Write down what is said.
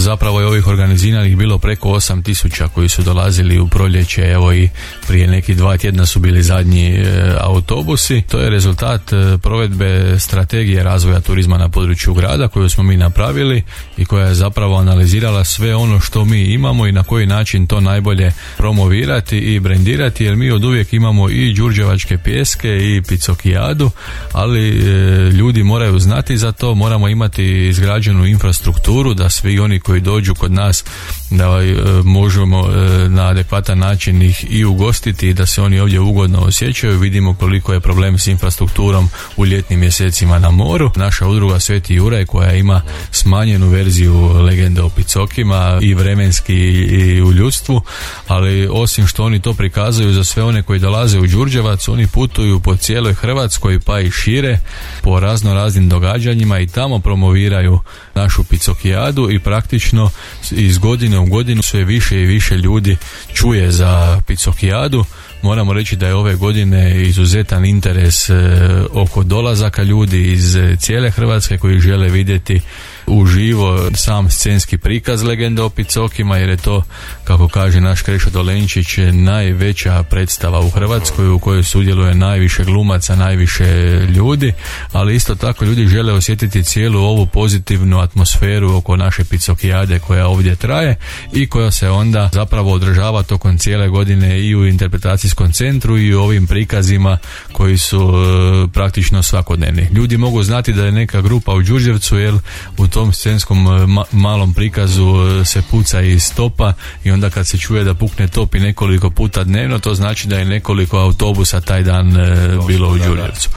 zapravo je ovih organiziranih bilo preko 8.000 koji su dolazili u proljeće, evo i prije neki 2 tjedna su bili zadnji autobusi. To je rezultat provedbe strategije razvoja turizma na području grada koju smo mi napravili i koja je zapravo analizirala sve ono što mi imamo i na koji način to najbolje promovirati i brendirati, jer mi od uvijek imamo i đurđevačke pjeske i picokijadu, ali ljudi moraju znati za to, moramo imati izgrađenu infrastrukturu da svi oni koji dođu kod nas da možemo na adekvatan način ih i ugostiti i da se oni ovdje ugodno osjećaju. Vidimo koliko je problem s infrastrukturom u ljetnim mjesecima na moru. Naša udruga Sveti Juraj koja ima smanjenu verziju legende o picokima i vremenski i u ljudstvu, ali osim što oni to prikazuju za sve one koji dolaze u Đurđevac, oni putuju po cijeloj Hrvatskoj pa i šire po raznim događanjima i tamo promoviraju našu picokijadu i praktično iz godine u godinu sve više i više ljudi čuje za picokijadu. Moramo reći da je ove godine izuzetan interes oko dolazaka ljudi iz cijele Hrvatske koji žele vidjeti uživo sam scenski prikaz legende o picokima, jer je to, kako kaže naš Krešo Dolenčić, najveća predstava u Hrvatskoj u kojoj sudjeluje najviše glumaca, najviše ljudi, ali isto tako ljudi žele osjetiti cijelu ovu pozitivnu atmosferu oko naše picokijade koja ovdje traje i koja se onda zapravo održava tokom cijele godine i u interpretacijskom centru i u ovim prikazima koji su praktično svakodnevni. Ljudi mogu znati da je neka grupa u Đurđevcu, jer u tom scenskom malom prikazu se puca iz topa i onda kad se čuje da pukne top i nekoliko puta dnevno, to znači da je nekoliko autobusa taj dan bilo u Đurđevcu.